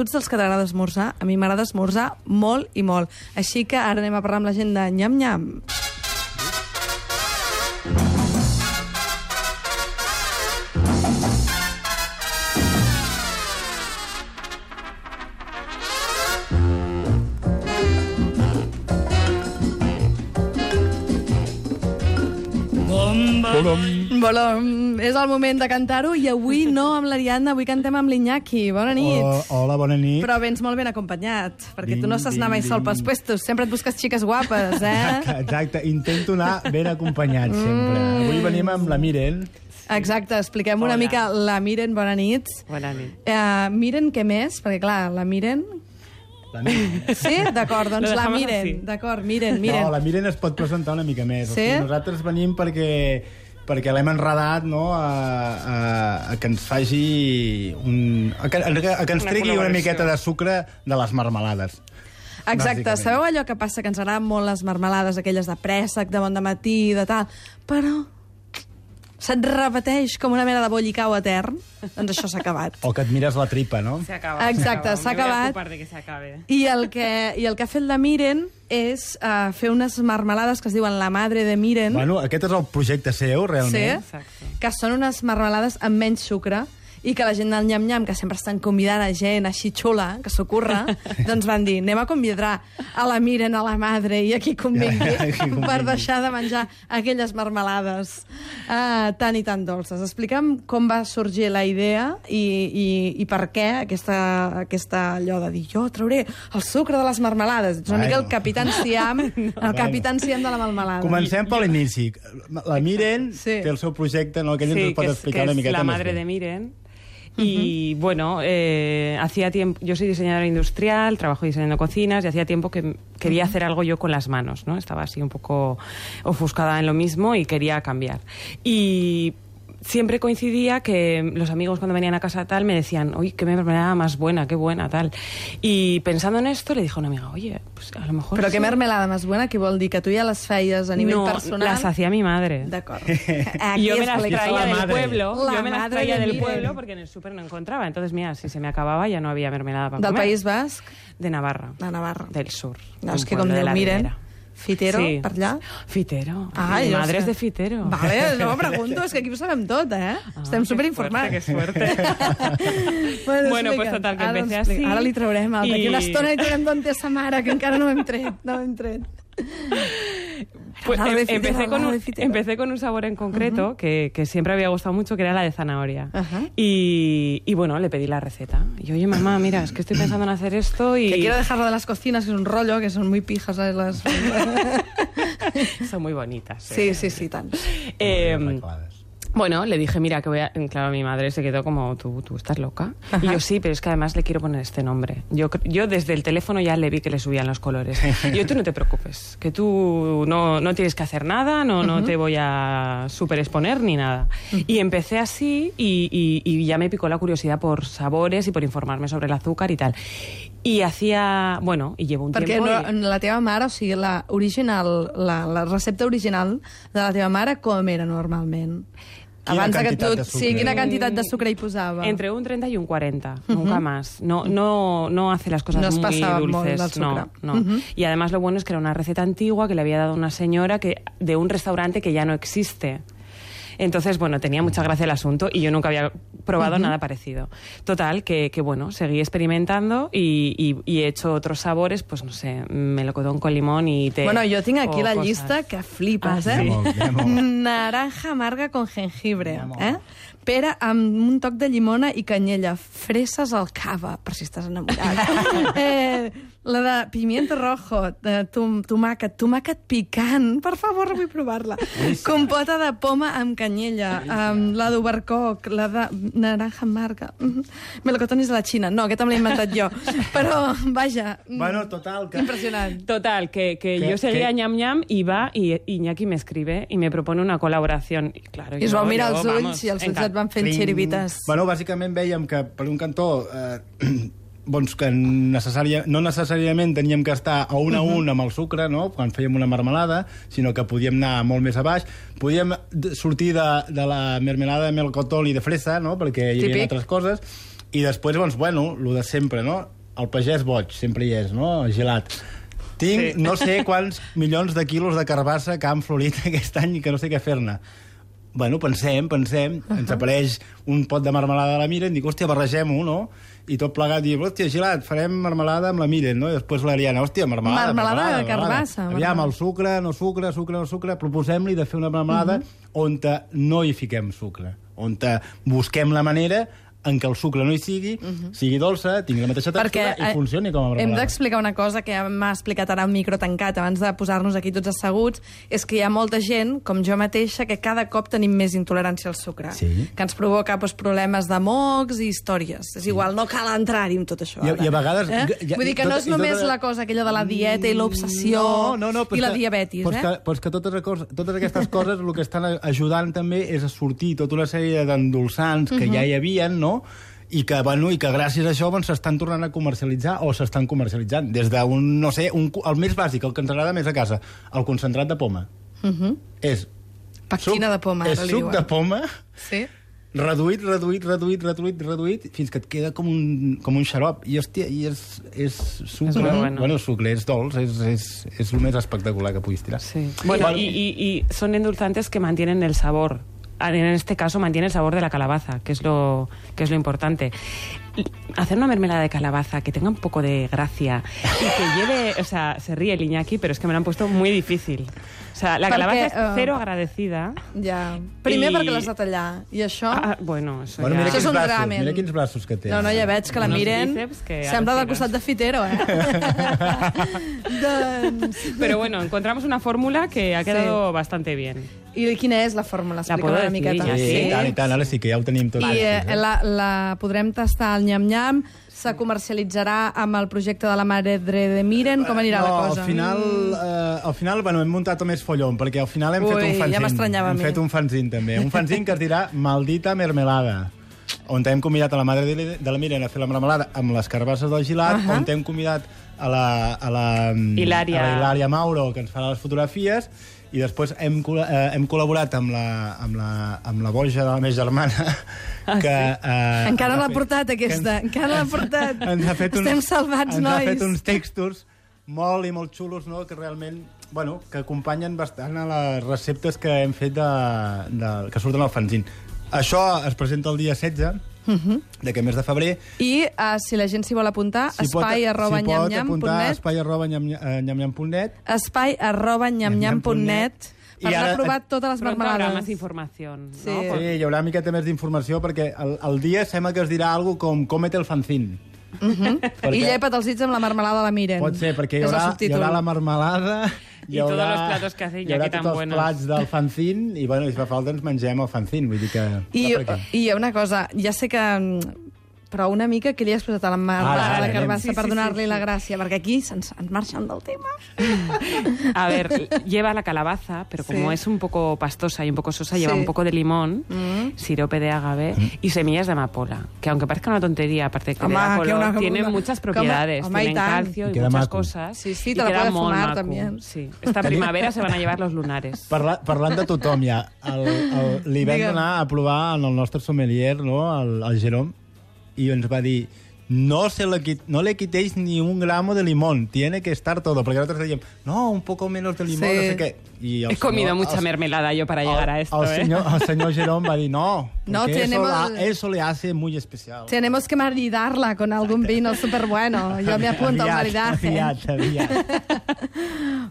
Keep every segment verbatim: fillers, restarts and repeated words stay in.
tu ets dels que t'agrada esmorzar, a mi m'agrada esmorzar molt i molt. Així que ara anem a parlar amb la gent de nyam-nyam. Volom. És el moment de cantar-ho i avui no amb l'Ariadna, avui cantem amb l'Iñaki. Bona nit. Oh, hola, bona nit. Però vens molt ben acompanyat, perquè Ding, tu no saps ding, anar mai sol ding. pels puestos, sempre et busques xiques guapes, eh? Exacte, intento anar ben acompanyat sempre. Avui venim amb la Miren. Exacte, expliquem una Hola. mica la Miren, bona nit. Bona nit. Uh, Miren, què més? Perquè clar, la Miren... La Miren. Sí? D'acord, doncs Lo la dejamos Miren. así. D'acord, Miren, Miren. No, la Miren es pot presentar una mica més. Sí? O sigui, nosaltres venim perquè, perquè l'hem enredat, no?, a, a, a que ens faci un... A que, a que ens Una tregui una col·laboració. miqueta de sucre de les marmelades. Exacte, bàsicament. sabeu allò que passa, que ens agraden molt les marmelades, aquelles de préssec, de bon dematí, de tal, però se't repeteix com una mena de bollicau etern? Doncs això s'ha acabat. O que et mires la tripa, no? Se acaba. Exacte, s'ha se acaba. Me voy a acabat. ocupar de que se acabe. I el que, i el que ha fet la Miren és uh, fer unes marmelades que es diuen la madre de Miren, Bueno, aquest és el projecte seu, sí, realment. Exacte. que són unes marmelades amb menys sucre, i que la gent del nyam-nyam, que sempre estan convidant a gent així xula, que s'ocorre, doncs van dir, anem a convidar a la Miren, a la madre, i a qui convingui, A qui convingui. per deixar de menjar aquelles marmelades uh, tan i tan dolces. Explica'm com va sorgir la idea i, i, i per què aquesta, aquesta allò de dir, jo trauré el sucre de les marmelades. Ets una Bueno. mica el Capitán Siam, el Bueno. Capitán Siam de la marmelada. Comencem per l'inici. La Miren Sí. té el seu projecte, no? Que ell Sí, ens pot que es, explicar que una es miqueta la més madre bé. de Miren. Y bueno, eh, hacía tiempo, yo soy diseñadora industrial, trabajo diseñando cocinas y hacía tiempo que quería hacer algo yo con las manos, ¿no? Estaba así un poco ofuscada en lo mismo y quería cambiar. Y siempre coincidía que los amigos cuando venían a casa tal me decían, uy, qué mermelada más buena, qué buena, tal. Y pensando en esto le dije a una amiga, oye, pues a lo mejor... Però sí. què mermelada més buena? Què vol dir? Que tu ja les feies a nivell No, personal? las hacía mi madre. D'acord. Y yo me las explica- traía la del madre. pueblo, La yo me las madre traía de del Miren. pueblo porque en el súper no encontraba. Entonces, mira, si se me acababa ya no había mermelada para Del comer. País Basc, De Navarra. de Navarra. Del sur. No, un és que pueblo com de diu la Miren, Ribera. Fitero, Sí. per allà. Fitero. Ah, Mi jo madre sé. es de Fitero. Vale, no, pregunto, és que aquí ho sabem tot, eh? Ah, Estem qué superinformats. fuerte, qué suerte. Bueno, pues total, que ara empecé ens explica- así. Ara li traurem, el, d'aquí I- una estona li traurem d'on té sa mare, que encara no hem tret, no hem tret. Pues Al lado de em- Fitero, empecé, al con lado un, de Fitero. empecé con un sabor en concreto que, que siempre había gustado mucho, que era la de zanahoria. Ajá. y, y bueno, le pedí la receta. Y oye, mamá, mira, es que estoy pensando en hacer esto y... Que quiero dejarlo de las cocinas, que es un rollo, que son muy pijas, ¿sabes? Las... Son muy bonitas. Sí, eh. sí, sí, tant. Eh, Arreglades. Bueno, le dije, mira, que voy a... Claro, mi madre se quedó como, tú, tú estás loca. Y yo, sí, pero es que además le quiero poner este nombre. Yo, cre- yo desde el teléfono ya le vi que le subían los colores. Y yo, tú no te preocupes, que tú no, no tienes que hacer nada, no, no te voy a super exponer ni nada. Y empecé así y, y, y ya me picó la curiosidad por sabores y por informarme sobre el azúcar y tal. Y hacía... Bueno, y llevo un Perquè tiempo... no, y- la teva mare, o sigui, la, original, la, la recepta original de la teva mare, com era normalment? Quina Abans de que quantitat tu... de sucre? Sí, quina quantitat de sucre hi posava? Entre un treinta y un cuarenta, nunca más. No, no, no hace las cosas No es muy pasaba molt dulces. del sucre. No, no. Y además lo bueno es que era una receta antigua que le había dado una señora que, de un restaurante que ya no existe. Entonces, bueno, tenía mucha gracia el asunto y yo nunca había probado nada parecido. Total, que, que bueno, seguí experimentando y, y, y he hecho otros sabores, pues no sé, melocotón con limón y té. Bueno, jo tinc aquí o la cosas. llista que flipes, Ah, eh? sí? Anem-ho, anem-ho. Naranja amarga con jengibre, Anem-ho. eh? Pera amb un toc de llimona i canyella. Fresses al cava, per si estàs enamorat. eh, la de pimiento rojo, de tom tomàquet, tomàquet picant. Per favor, vull provar-la. Compota de poma amb canyella, amb la d'overcoc, la de naranja amarga. Mm. Melocotón és de la Xina. No, aquest em l'he inventat jo. Però, vaja, Bueno, total, que... impressionant. Total, que, que ¿Qué- yo seguía qué? ñam ñam y va y Iñaki me escribe y me propone una colaboración. Y claro, I es yo- vau mirar yo, els ulls vamos, i els ulls encan- et van fent Pling. xiribites. Bueno, bàsicament veiem que per un cantó eh, doncs que necessària, no necessàriament teníem que estar a un a un amb el sucre, no?, quan fèiem una marmelada, sinó que podíem anar molt més a baix. Podíem d- sortir de, de la mermelada de melocotón i de fresa, no?, perquè hi havia Típic. altres coses, I després, doncs, bueno, el de sempre, no? El pagès boig, sempre hi és, no? Gelat. Tinc sí. no sé quants milions de quilos de carbassa que han florit aquest any i que no sé què fer-ne. Bueno, pensem, pensem, uh -huh. ens apareix un pot de marmelada de la Miren, dic, hòstia, barregem-ho, no? I tot plegat, diu, hòstia, Gelat, farem marmelada amb la Miren, no? I després l'Ariana, hòstia, marmelada, marmelada. Marmelada de carbassa. Aviam, el sucre, no sucre, sucre, no sucre, proposem-li de fer una marmelada uh -huh. on no hi fiquem sucre, on busquem la manera en què el sucre no hi sigui, uh -huh. sigui dolça, tingui la mateixa textura Perquè, i funcioni com a marmelada. Hem d'explicar una cosa que m'ha explicat ara un micro tancat abans de posar-nos aquí tots asseguts, és que hi ha molta gent, com jo mateixa, que cada cop tenim més intolerància al sucre, sí. que ens provoca doncs, problemes de mocs i històries. És igual, no cal entrar-hi amb tot això. I, I a vegades... Eh? Ja, Vull dir que tot, no és només tota... la cosa aquella de la dieta i l'obsessió no, no, no, i la que, diabetis. Però eh? que, però que totes, totes aquestes coses el que estan ajudant també és a sortir tota una sèrie d'endolçants que uh -huh. ja hi havia, no?, i que, bueno, i que gràcies a això s'estan doncs, tornant a comercialitzar o s'estan comercialitzant. Des d'un, no sé, un, el més bàsic, el que ens agrada més a casa, el concentrat de poma. Uh -huh. És Pectina de poma, és li suc diuen. de poma, sí. reduït, reduït, reduït, reduït, reduït, fins que et queda com un, com un xarop. I, hòstia, i és, és sucre. És molt bueno. Bueno, sucre, és dolç, és, és, és el més espectacular que puguis tirar. Sí. Bueno, y, y, y son endulzantes que mantienen el sabor. En este caso mantiene el sabor de la calabaza, que es lo, que es lo importante. Hacer una mermelada de calabaza que tenga un poco de gracia y que lleve... O sea, se ríe el Iñaki, pero es que me lo han puesto muy difícil. O sea, la Perquè, calabaza es uh, cero agradecida. Ja. Primer I... perquè l'has de tallar. I això... Ah, bueno, això Bueno, ja... mira Això és quins un braços, ramen. mira quins braços que té. No, no, ja veig que la Unos miren... bíceps que Sembla del alucines. costat de Fitero, eh? doncs... Pero bueno, encontramos una fórmula que ha quedado sí. bastante bien. I quina és la fórmula? La puedo Explica-me una decir, miqueta. ja, Sí, sí. i tant, i tant, ara sí que ja ho tenim tot. I eh, la, la podrem tastar al nyam-nyam, se comercialitzarà amb el projecte de la Madre de Miren, com anirà no, la cosa? Al final, eh, al final bueno, hem muntat més follon, perquè al final hem Ui, fet un fanzine. ja m'estranyava a hem mi. fet un fanzine, també. Un fanzine que es dirà Maldita Mermelada, on hem convidat a la Madre de, de la Miren a fer la marmelada amb les carbasses del Gilat, uh -huh. on hem convidat a la, a la, Hilària. a la Hilària Mauro, que ens farà les fotografies, i després hem, eh, hem col·laborat amb la, amb, la, amb la boja de la meva germana, Ah, que... sí? Eh, Encara ens l'ha ha fet- portat, aquesta. que ens- Encara l'ha portat. ens ha fet uns, Estem salvats, ens nois. ha fet uns textos molt i molt xulos, no?, que realment, bueno, que acompanyen bastant a les receptes que hem fet de, de, que surten al fanzine. Això es presenta el dia setze Uh -huh. d'aquest mes de febrer. I uh, si la gent s'hi vol apuntar, Si pot- espai arroba si pot nyam-nyam punt apuntar a net, espai arroba nyam- eh, nyam-nyam punt net. espai arroba nyam-nyam punt net, I per ara- anar provat totes les Pronto habrá marmelades. más información, Sí. ¿no? Sí, hi haurà una miqueta més d'informació, perquè el, el dia sembla que es dirà alguna com cómete el fanzine. Uh -huh. Perquè- I llepa't els dits amb la marmelada de la Miren. Pot ser, perquè hi És el haurà, hi subtítol. haurà la marmelada, hi I haurà, todos los platos que hace hi haurà Iñaki tan tots els buenos. plats del fanzine, i, bueno, si fa falta ens mengem el fanzine, vull dir que... I, va per aquí. I una cosa, ja sé que... mm, però una mica que li has posat a la marmelada Ara, ara, de carbassa sí, per sí, donar-li sí, la sí. gràcia, perquè aquí se'ns ens marxen del tema. A ver, lleva la calabaza, pero como Sí. es un poco pastosa y un poco sosa, Sí. lleva un poco de limón, Mm. sirope de agave y semillas de amapola, que aunque parezca una tontería, aparte de que Home, le da que color, una- tiene una- muchas que home, propiedades, home, i tienen tant. calcio I y queda muchas maco. cosas. Sí, sí, y te la queda puedes molt fumar maco. también. Sí. Esta primavera se van a llevar los lunares. Parla, parlant de tothom ja, el, el, li vam Digue'm. donar a provar en el nostre sommelier, no?, el, el Jerome, i ens va dir no, se le, quit- no le quitéis ni un gramo de limón, tiene que estar todo, perquè nosaltres dèiem, no, un poco menos de limón, Sí. no sé què. I el He comido senyor- mucha el- mermelada yo para llegar a el, esto, el, ¿eh? senyor, el senyor Jerome va dir, no, No, porque eso, tenemos- la, eso le hace muy especial. Tenemos que maridarla con algún vino súper bueno. Jo me apunto al Aviat, maridaje. aviat, aviat.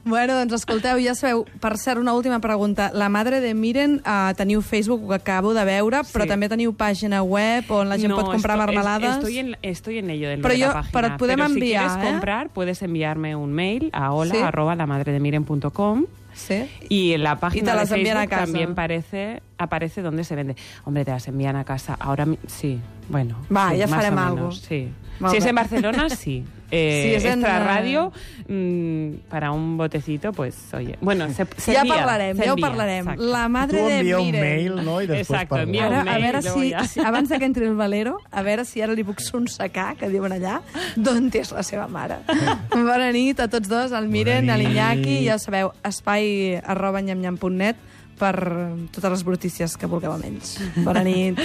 Bueno, doncs escolteu, ja sabeu, per cert, una última pregunta. La Madre de Miren, uh, teniu Facebook, ho acabo de veure, Sí. però també teniu pàgina web on la gent No, pot comprar esto- es- marmelades. Estoy en, estoy en ello del Pero de yo- la página. pero podem Pero si enviar, quieres ¿eh? comprar, puedes enviarme un mail a hola Sí. arroba lamadredemiren punto com. Sí. Y en la Y te página de las envían a Facebook casa. también parece, aparece dónde se vende. Hombre, te las envían a casa. Ahora mi- sí, bueno. Va, sí, ya más farem o algo. menos, sí. Molt Si es bé. en Barcelona, sí. Eh, Si és en, extra eh, radio, mm, para un botecito, pues, oye. Bueno, se, se Ja envía, parlarem, se ja ho envía, parlarem. exacto. La Madre Tu de envia un Miren. mail, no?, i després Exacto, parlem. envia un Ara, a mail, veure luego si, ja. si, abans que entri el Valero, a veure si ara li puc sonsacar, que diuen allà, d'on és la seva mare. Bona nit a tots dos, al Miren, Bona a nit. l'Iñaki, ja sabeu, espai arroba nyam nyam punt net per totes les brutícies que vulgueu amb ells. Bona nit.